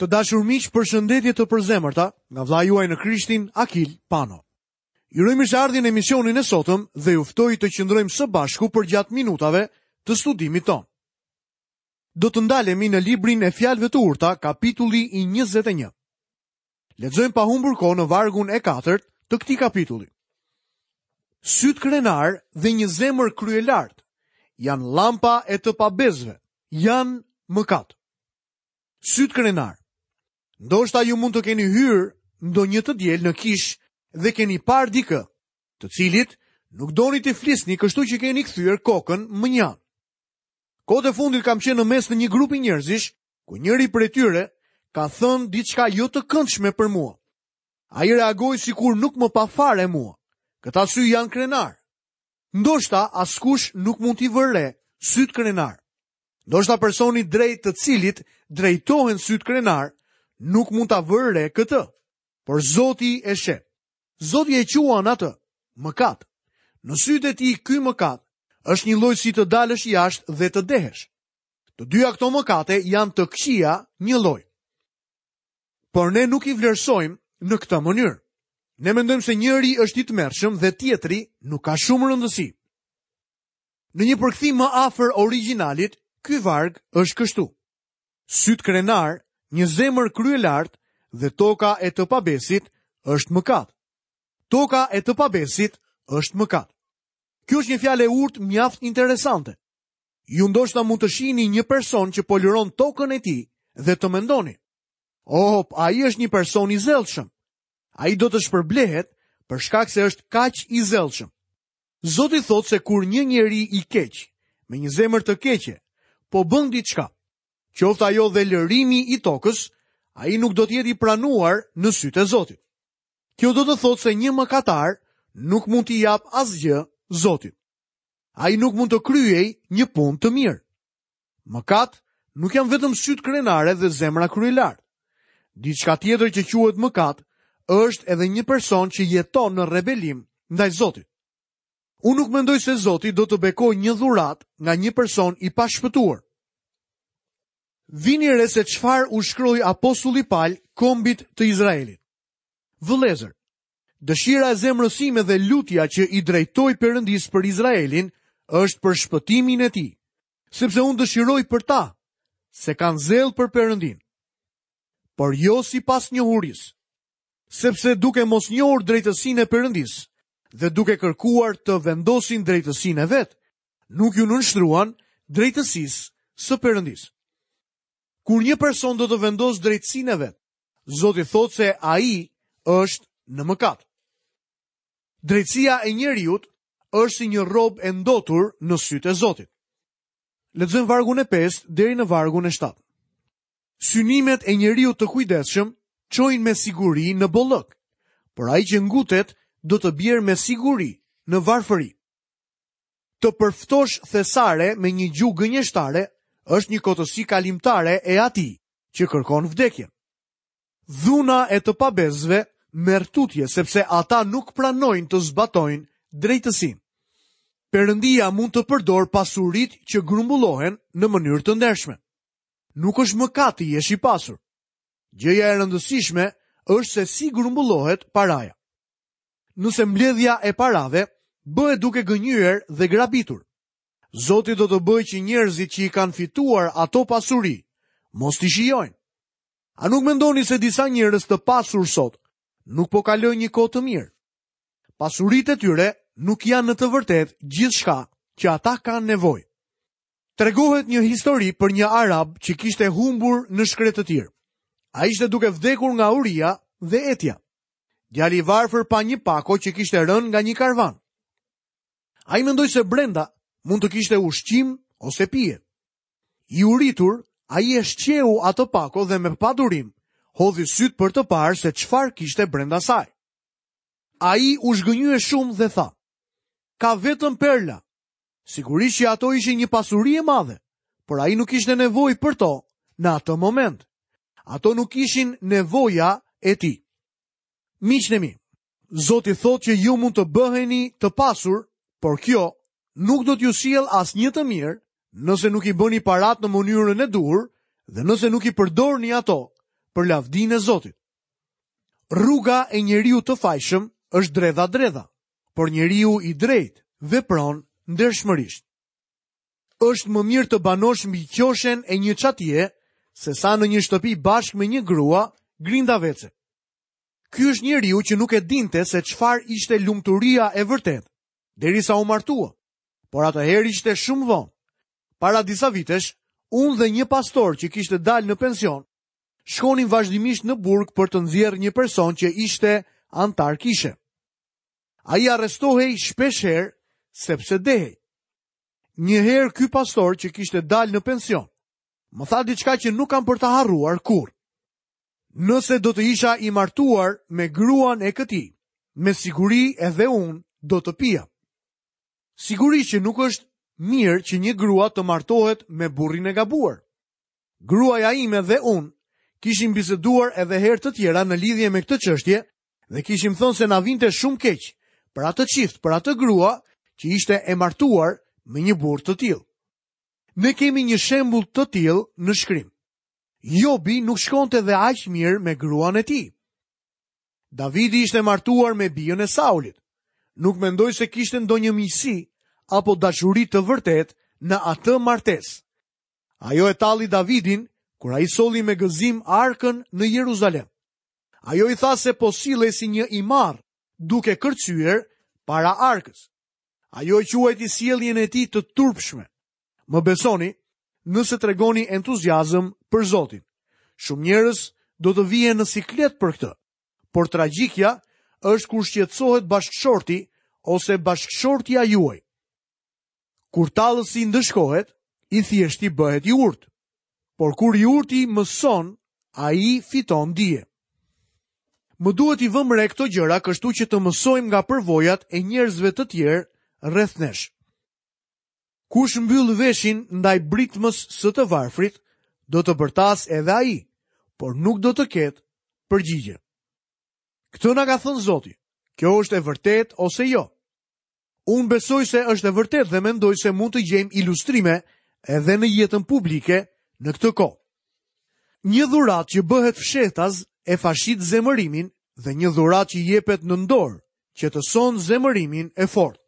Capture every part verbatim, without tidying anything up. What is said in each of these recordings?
Të dashur miq, përshëndetje të përzemërta nga vëllai juaj në Krishtin, Akil Pano. Ju uroj mirëseardhjen në emisionin e sotëm dhe ju ftoj të qëndrojmë së bashku përgjatë minutave të studimit tonë. Do të ndalemi në librin e Fjalëve të Urta, kapitulli i njëzet e një. Lexojmë pa humbur kohë në vargun e katërt të këtij kapitulli. Syt krenar dhe një zemër kryelart janë lampa e të pabesëve, janë mëkat. Syt krenar. Ndoshta ju mund të keni hyrë ndonjë të diel në kish dhe keni parë dikë, të cilit nuk doni të flisni, kështu që keni kthyer kokën më njanë. Kohët e fundit kam qenë në mes të një grupi njerëzish, ku njëri prej tyre ka thënë diçka jo të këndshme për mua. Ai reagoi sikur nuk më pa fare mua. Këta sy janë krenar. Ndoshta askush nuk mund t'i vërë re syt krenar. Ndoshta personi drejt të cilit drejtohen syt krenar nuk mund ta vërë re këtë, por Zoti e sheh. Zoti e quan atë mëkat. Në sytë e tij ky mëkat është një lloj si të dalësh jashtë dhe të dehesh. Të dyja këto mëkate janë të këqija një lloj. Por ne nuk i vlerësojmë në këtë mënyrë. Ne mendojmë se njëri është i tmerrshëm dhe tjetri nuk ka shumë rëndësi. Në një përkthim më afër origjinalit, ky varg është kështu: Syt krenar, një zemër kryelart dhe toka e të pabesit është mëkat. Toka e të pabesit është mëkat. Kjo është një fjalë e urtë mjaft interesante. Ju ndoshta mund të shihni një person që po lëron tokën e tij dhe të mendoni: "Oh, ai është një person i zellshëm. Ai do të shpërblehet për shkak se është kaq i zellshëm." Zoti thotë se kur një njeri i keq, me një zemër të keqe, po bën diçka, qoftë ajo dhe lërimi i tokës, ai nuk do të jetë i pranuar në sytë e Zotit. Kjo do të thotë se një mëkatar nuk mund t'i jap asgjë Zotit. Ai nuk mund të kryejë një punë të mirë. Mëkat nuk janë vetëm sytë krenare dhe zemra kryelart. Diçka tjetër që quhet mëkat është edhe një person që jeton në rebelim ndaj Zotit. Unë nuk mendoj se Zoti do të bekojë një dhuratë nga një person i pashpëtuar. Vini re se çfarë u shkroi apostulli Paul kombit të Izraelit. Vëllezër, dëshira e zemrës sime dhe lutja që i drejtoi Perëndis për Izraelin është për shpëtimin e tij, sepse unë dëshiroj për ta, se kanë zell për Perëndin, por jo sipas njohurisë, sepse duke mos njohur drejtësinë e Perëndis dhe duke kërkuar të vendosin drejtësinë e vet, nuk ju nënshtruan drejtësisë së Perëndis. Kur një person do të vendosë drejtësinë e vet, Zoti thotë se ai është në mëkat. Drejtësia e njeriut është si një rrobë e ndotur në sytë e Zotit. Lexojmë vargun e pestë deri në vargun e shtatë. Synimet e njeriut të kujdesshëm çojnë me siguri në bollëk, por ai që ngutet do të bjerë me siguri në varfëri. Të përftosh thesare me një gjuhë gënjeshtare është një kotësi kalimtare e atij që kërkon vdekjen. Dhuna e të pabesëve merr tutje sepse ata nuk pranojnë të zbatojnë drejtësinë. Perëndia mund të përdor pasuritë që grumbullohen në mënyrë të ndershme. Nuk është mëkat të jesh i pasur. Gjëja e rëndësishme është se si grumbullohet paraja. Nëse mbledhja e parave bëhet duke gënjyer dhe grabitur, Zoti do të bëjë që njerëzit që i kanë fituar ato pasuri mos t'i shijojnë. A nuk mendoni se disa njerëz të pasur sot nuk po kalojnë një kohë të mirë? Pasuritë e tyre nuk janë në të vërtetë gjithçka që ata kanë nevojë. Tregohet një histori për një arab që kishte humbur në shkretëtirë. Ai ishte duke vdekur nga uria dhe etja. Djali i varfër pa një pako që kishte rënë nga një karvan. Ai mendoi se brenda mund të kishte ushqim ose pije. I uritur, ai e shqeu atë pako dhe me padurim hodhi syt për të parë se çfarë kishte brenda saj. Ai u zhgënjye shumë dhe tha: "Ka vetëm perla." Sigurisht që ato ishin një pasuri e madhe, por ai nuk kishte nevojë për to në atë moment. Ato nuk ishin nevoja e tij. Miqtë e mi, Zoti thotë që ju mund të bëheni të pasur, por kjo nuk do t'ju sjellë asnjë të mirë nëse nuk i bëni parat në mënyrën e duhur dhe nëse nuk i përdorni ato për lavdinë e Zotit. Rruga e njeriut të fajshëm është dredha-dredha, por njeriu i drejtë vepron ndershmërisht. Është më mirë të banosh mbi qoshen e një çatie se sa në një shtëpi bashkë me një grua grindavece. Ky është njeriu që nuk e dinte se çfarë ishte lumturia e vërtetë, derisa u martua, por atëherë ishte shumë vonë. Para disa vitesh, unë dhe një pastor që kishte dalë në pension, shkonin vazhdimisht në burg për të nxjerrë një person që ishte antar kishe. Ai arrestohej shpesh herë sepse dehej. Një herë ky pastor që kishte dalë në pension, më tha diçka që nuk kam për ta harruar kurrë. Nëse do të isha i martuar me gruan e këtij, me siguri edhe unë do të pija. Sigurisht që nuk është mirë që një grua të martohet me burrin e gabuar. Gruaja ime dhe unë kishim biseduar edhe herë të tjera në lidhje me këtë çështje dhe kishim thënë se na vinte shumë keq për atë çift, për atë grua që ishte e martuar me një burrë të tillë. Ne kemi një shembull të tillë në shkrim. Jobi nuk shkonte dhe aq mirë me gruan e tij. Davidi ishte martuar me bijën e Saulit. Nuk mendoj se kishte ndonjë miqësi apo dashuri të vërtetë në atë martesë. Ajo e talli Davidin kur ai solli me gëzim arkën në Jeruzalem. Ajo i tha se po sillej si një i marr, duke kërcyer para arkës. Ajo e quajti sjelljen e tij të turpshme. Më besoni, nëse tregoni entuziazëm për Zotin. Shumë njerëz do të vihen në siklet për këtë, por tragjikja është kur shqetësohet bashkëshorti ose bashkëshortja juaj. Kur tallësi ndëshkohet, i thjeshti bëhet i urtë, por kur i urti mëson, ai fiton dije. Më duhet i vëmë re këto gjëra kështu që të mësojmë nga përvojat e njerëzve të tjerë rreth nesh. Kush mbyll veshin ndaj britmës së të varfrit, do të bërtas edhe ai, por nuk do të ketë përgjigje. Këtë na ka thënë Zoti. Kjo është e vërtetë ose jo? Unë besoj se është e vërtetë dhe mendoj se mund të gjejmë ilustrime edhe në jetën publike në këtë kohë. Një dhuratë që bëhet fshehtaz e fashit zemërimin dhe një dhuratë që jepet në dorë, qetëson zemërimin e fortë.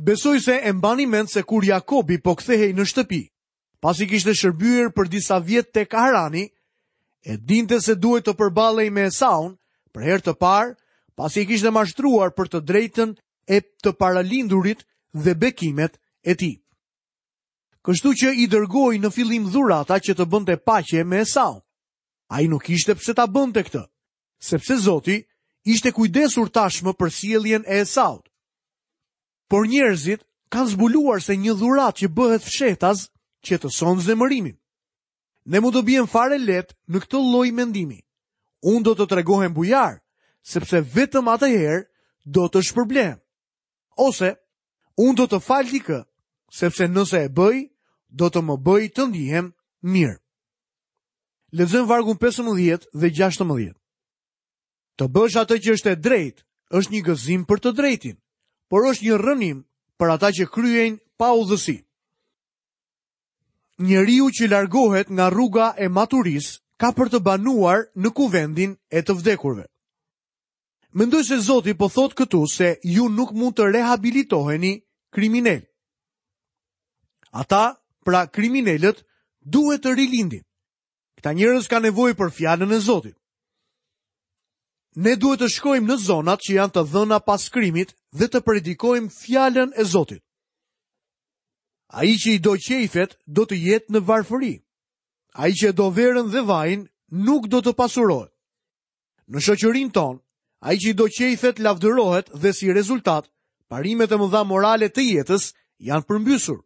Besoj se e mbani mend se kur Jakobi po kthehej në shtëpi, pasi kishte shërbyer për disa vjet tek Harani, e dinte se duhet të përballej me Esaun për herë të parë, pasi e kishte mashtruar për të drejtën e të paralindurit dhe bekimet e tij. Kështu që i dërgoi në fillim dhurata që të bënte paqe me Esaun. Ai nuk kishte pse ta bënte këtë, sepse Zoti ishte kujdesur tashmë për sjelljen e Esaut. Por njerëzit kanë zbuluar se një dhuratë që bëhet fshehtaz qetëson zemërimin. Ne mund të biem fare lehtë në këtë lloj mendimi. Unë do të tregohem bujar, sepse vetëm atëherë do të shpërblehem. Ose unë do të fal dikë, sepse nëse e bëj, do të më bëj të ndihem mirë. Lexojmë vargun pesëmbëdhjetë dhe gjashtëmbëdhjetë. Të bësh atë që është e drejtë është një gëzim për të drejtin, por është një rrënim për ata që kryejnë pa udhësi. Njeriu që largohet nga rruga e maturisë ka për të banuar në kuvendin e të vdekurve. Mendoj se Zoti po thotë këtu se ju nuk mund të rehabilitoheni kriminal. Ata, pra kriminalët, duhet të rilindin. Këta njerëz kanë nevojë për fjalën e Zotit. Ne duhet të shkojmë në zonat që janë të dhëna pas krimit dhe të predikojmë fjalën e Zotit. Ai që i do qejfet do të jetë në varfëri. Ai që e do verën dhe vajin nuk do të pasurohet. Në shoqërinë tonë, ai që i do qejfet lavdërohet dhe si rezultat, parimet e mëdha morale të jetës janë përmbysur.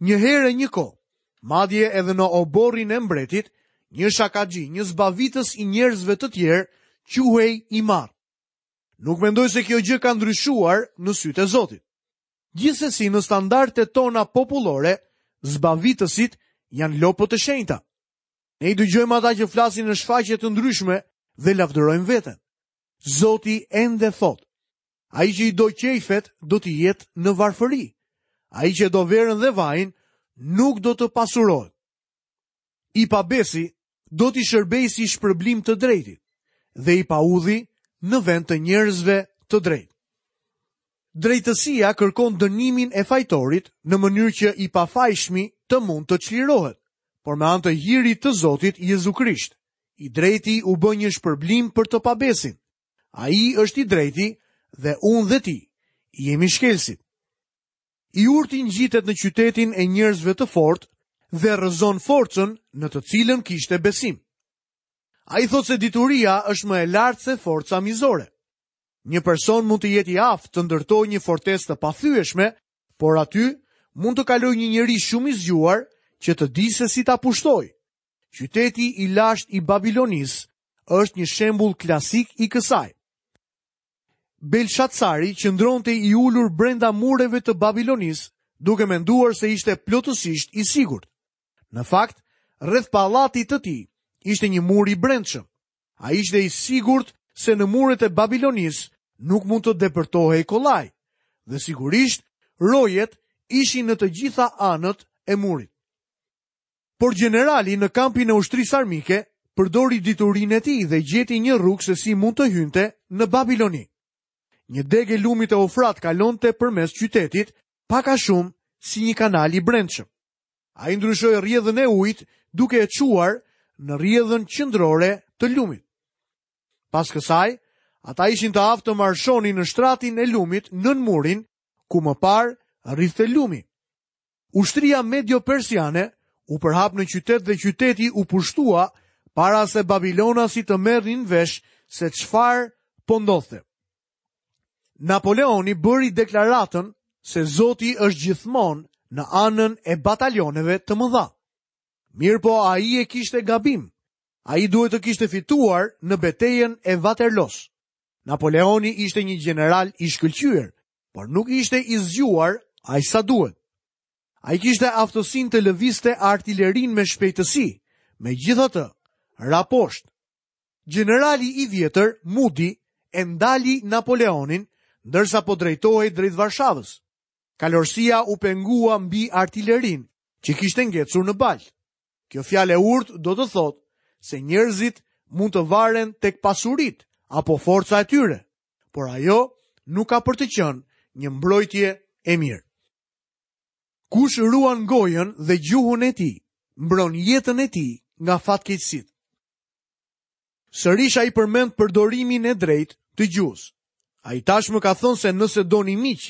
Një herë e një kohë, madje edhe në oborrin e mbretit, një shakaxhi, një zbavitës i njerëzve të tjerë, quhej i marr. Nuk mendoj se kjo gjë ka ndryshuar në sytë e Zotit. Gjithsesi në standardet tona popullore, zbavitësit janë lopët të shenjta. Ne i dëgjojmë ata që flasin në shfaqje të ndryshme dhe lavdërojmë veten. Zoti ende thotë, ai që i do qejfet do të jetë në varfëri. Ai që do verën dhe vajin nuk do të pasurohet. I pabesi Do t'i shërbejë si shpërblim të drejtit dhe i paudhi në vend të njerëzve të drejtë. Drejtësia kërkon dënimin e fajtorit në mënyrë që i pafajshmi të mund të çlirohet, por me anë të hirit të Zotit Jezu Krisht. I drejti u bë një shpërblim për të pabesin. Ai është i drejti dhe unë dhe ti jemi shkelësit. I urti ngjitet në qytetin e njerëzve të fortë dhe rrëzon forcën në të cilën kishte besim. Ai thotë se dituria është më e lartë se forca mizore. Një person mund të jetë i aftë të ndërtojë një fortesë të pathyeshme, por aty mund të kalojë një njeri shumë i zgjuar që të di se si ta pushtojë. Qyteti i lashtë i Babilonisë është një shembull klasik i kësaj. Belshazzari qëndronte i ulur brenda mureve të Babilonisë, duke menduar se ishte plotësisht i sigurt. Në fakt, rreth pallatit të tij ishte një mur i brendshëm. Ai ishte i sigurt se në muret e Babilonisë nuk mund të depërtohej kollaj, dhe sigurisht rojet ishin në të gjitha anët e murit. Por gjenerali në kampin e ushtrisë armike përdori diturinë e tij dhe gjeti një rrugë se si mund të hynte në Babiloni. Një degë e lumit e Eufrat kalonte përmes qytetit, pak a shumë si një kanal i brendshëm. Ai ndryshoi rrjedhën e ujit duke e çuar në rrjedhën qendrore të lumit. Pas kësaj, ata ishin të aftë të marshonin në shtratin e lumit nën murin, ku më parë rridhte lumi. Ushtria medio-persiane u përhap në qytet dhe qyteti u pushtua para se Babilonasit të merrnin vesh se çfarë po ndodhte. Napoleoni bëri deklaratën se Zoti është gjithmonë në anën e batalioneve të mëdha. Mirë po ai e kishte gabim. Ai duhet të kishte fituar në betejën e Waterloos. Napoleoni ishte një gjeneral i shkëlqyer, por nuk ishte i zgjuar aq sa duhet. Ai kishte aftësinë të lëvizte artillerinë me shpejtësi, megjithatë, ra poshtë. Gjenerali i vjetër, Mudi, e ndali Napoleonin, ndërsa po drejtohej drejt Varshavës. Kalorësia u pengua mbi artillerinë që kishte ngecur në baltë. Kjo fjalë e urtë do të thotë se njerëzit mund të varen tek pasuritë apo forca e tyre, por ajo nuk ka për të qenë një mbrojtje e mirë. Kush ruan gojën dhe gjuhën e tij, mbron jetën e tij nga fatkeqësitë. Sërish ai përmend përdorimin e drejtë të gjuhës. Ai tashmë ka thënë se nëse doni miq,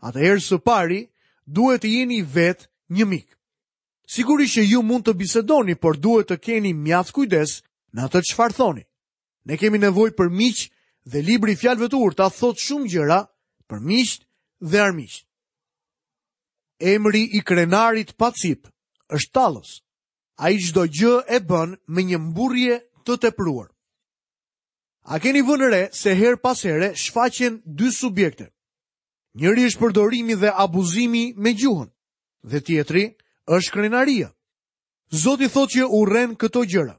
atëherë së pari duhet të jeni vetë një mik. Sigurisht që ju mund të bisedoni, por duhet të keni mjaft kujdes në atë çfarë thoni. Ne kemi nevojë për miq dhe libri i fjalëve të urta thotë shumë gjëra për miqt dhe armiqt. Emri i krenarit pa cip është tallës. Ai çdo gjë e bën me një mburrje të tepruar. A keni vënë re se her pas here shfaqen dy subjekte? Njëri është përdorimi dhe abuzimi me gjuhën, dhe tjetri është krenaria. Zoti thotë që urren këto gjëra.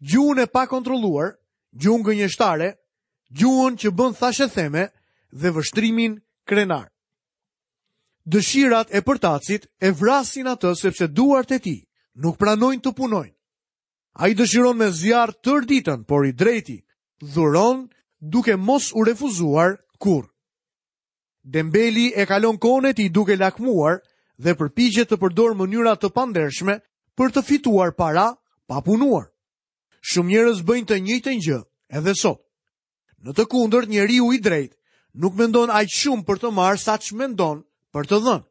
Gjuhën e pakontrolluar, gjuhën gënjeshtare, gjuhën që bën thashetheme dhe vështrimin krenar. Dëshirat e përtacit e vrasin atë sepse duart e tij nuk pranojnë të punojnë. Ai dëshiron me zjarr tërë ditën, por i drejti dhuron duke mos u refuzuar kurrë. Dembeli e kalon kohën e tij duke lakmuar dhe përpiqet të përdorë mënyra të pandershme për të fituar para pa punuar. Shumë njerëz bëjnë të njëjtën gjë edhe sot. Në të kundërt, njeriu i drejtë nuk mendon aq shumë për të marrë sa ç'mendon për të dhënë.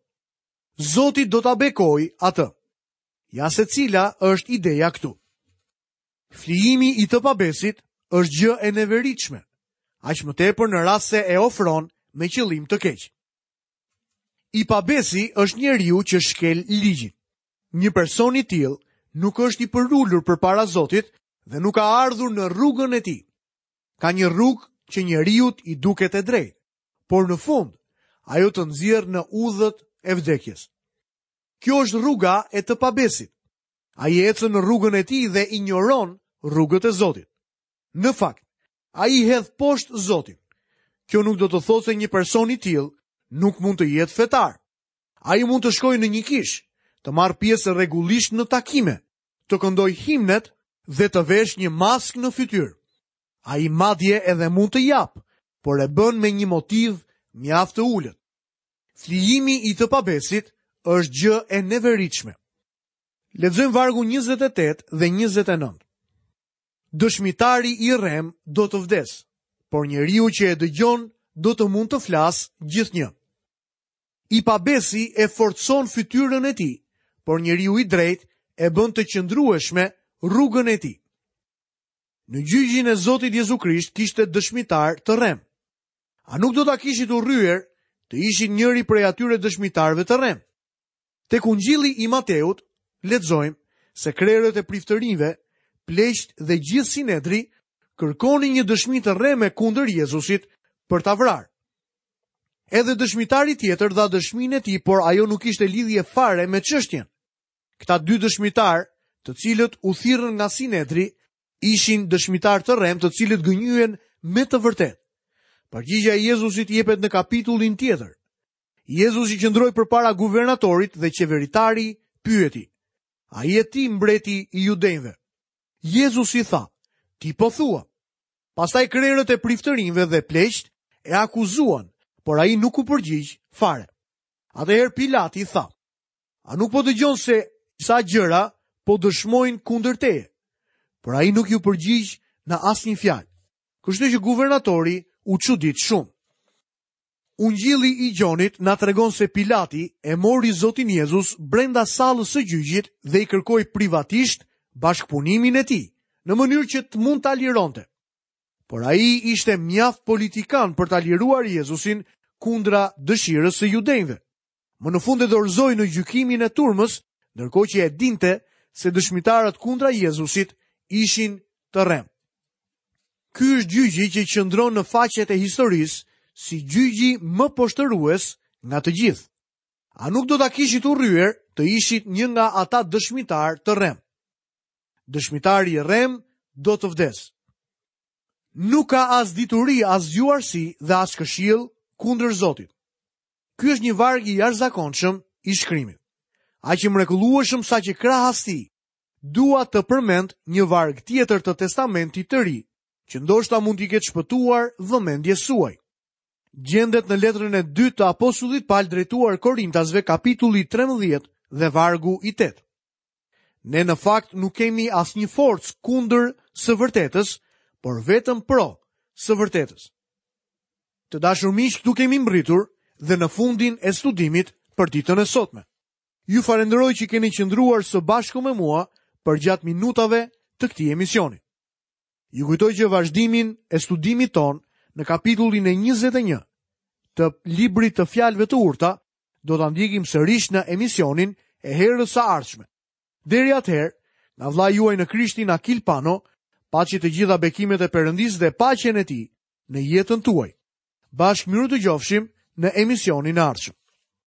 Zoti do ta bekojë atë. Ja se cila është ideja këtu. Flijimi i të pabesit është gjë e neveritshme, aq më tepër në rast se e ofron me qëllim të keq. I pabesi është njeriu që shkel ligjin. Një person i tillë nuk është i përulur përpara Zotit dhe nuk ka ardhur në rrugën e tij. Ka një rrugë që njeriut i duket e drejtë, por në fund ajo të nxjerr në udhët e vdekjes. Kjo është rruga e të pabesit. Ai ecën në rrugën e tij dhe injoron rrugët e Zotit. Në fakt, ai hedh poshtë Zotin. Kjo nuk do të thotë se një person i tillë nuk mund të jetë fetar. Ai mund të shkojë në një kishë, të marrë pjesë rregullisht në takime, të këndojë himnet dhe të vesh një maskë në fytyrë. Ai madje edhe mund të japë, por e bën me një motiv mjaft të ulët. Flijimi i të pabesit është gjë e neveritshme. Lexojmë vargun njëzet e tetë dhe njëzet e nëntë. Dëshmitari i rrem do të vdes, por njeriu që e dëgjon do të mund të flasë gjithnjë. I pabesi e forcon fytyrën e tij, por njeriu i drejtë e bën të qëndrueshme rrugën e tij. Në gjyqin e Zotit Jezu Krisht kishte dëshmitar të rrem. A nuk do ta kishit urryer të ishit njëri prej atyre dëshmitarëve të rrem? Tek Ungjilli i Mateut lexojmë se krerët e priftërinjve, pleqt dhe gjithë sinedri kërkonin një dëshmi të rreme kundër Jezusit për ta vrarë. Edhe dëshmitari tjetër dha dëshminë e tij, por ajo nuk kishte lidhje fare me çështjen. Këta dy dëshmitar, të cilët u thirrën nga sinedri, ishin dëshmitar të rrem, të cilët gënjyen me të vërtetë. Përgjigjja e Jezusit jepet në kapitullin tjetër. Jezusi qëndroi përpara guvernatorit dhe qeveritari pyeti: A je ti mbreti i judenjve? Jezusi tha: Ti po thua. Pastaj krerët e priftërinjve dhe pleqt e akuzuan, por ai nuk u përgjigj fare. Atëherë Pilati tha: A nuk po dëgjon se sa gjëra po dëshmojnë kundër teje? Por ai nuk ju përgjigj në asnjë fjalë. Kështu që guvernatori u çudit shumë. Ungjilli i Gjonit na tregon se Pilati e mori Zotin Jezus brenda sallës së gjyqit dhe i kërkoi privatisht bashkëpunimin e tij, në mënyrë që të mund ta lironte. Por ai ishte mjaft politikan për ta liruar Jezusin kundra dëshirës së judenjve. Më në fund e dorëzoi në gjykimin e turmës, ndërkohë që e dinte se dëshmitarët kundra Jezusit ishin të rrem. Ky është gjyqi që qëndron në faqet e historisë si gjyqi më poshtërues nga të gjithë. A nuk do ta kishit urryer të ishit një nga ata dëshmitar të rrem? Dëshmitari i rrem do të vdes. Nuk ka as dituri, as zgjuarsi dhe as këshill kundër Zotit. Ky është një varg i jashtëzakonshëm i shkrimit. Aq i mrekullueshëm sa që krahas tij dua të përmend një varg tjetër të Testamentit të Ri, që ndoshta mund t'i ketë shpëtuar vëmendjes suaj. Gjendet në letrën e dytë të apostullit Paul drejtuar Korintasve, kapitulli trembëdhjetë dhe vargu i tetë. Ne në fakt nuk kemi asnjë forcë kundër së vërtetës, por vetëm pro së vërtetës. Të dashur miq, këtu kemi mbërritur dhe në fundin e studimit për ditën e sotme. Ju falenderoj që keni qëndruar së bashku me mua përgjatë minutave të këtij emisioni. Ju kujtoj që vazhdimin e studimit ton në kapitullin e njëzet e një të librit të fjalëve të urta do ta ndjekim sërish në emisionin e herës së ardhshme. Deri atëherë, nga vëllai juaj në Krishtin Akil Pano, paçi të gjitha bekimet e Perëndisë dhe paqen e tij në jetën tuaj. Bashkë mirë të gjofshim në emisionin e ardhshëm.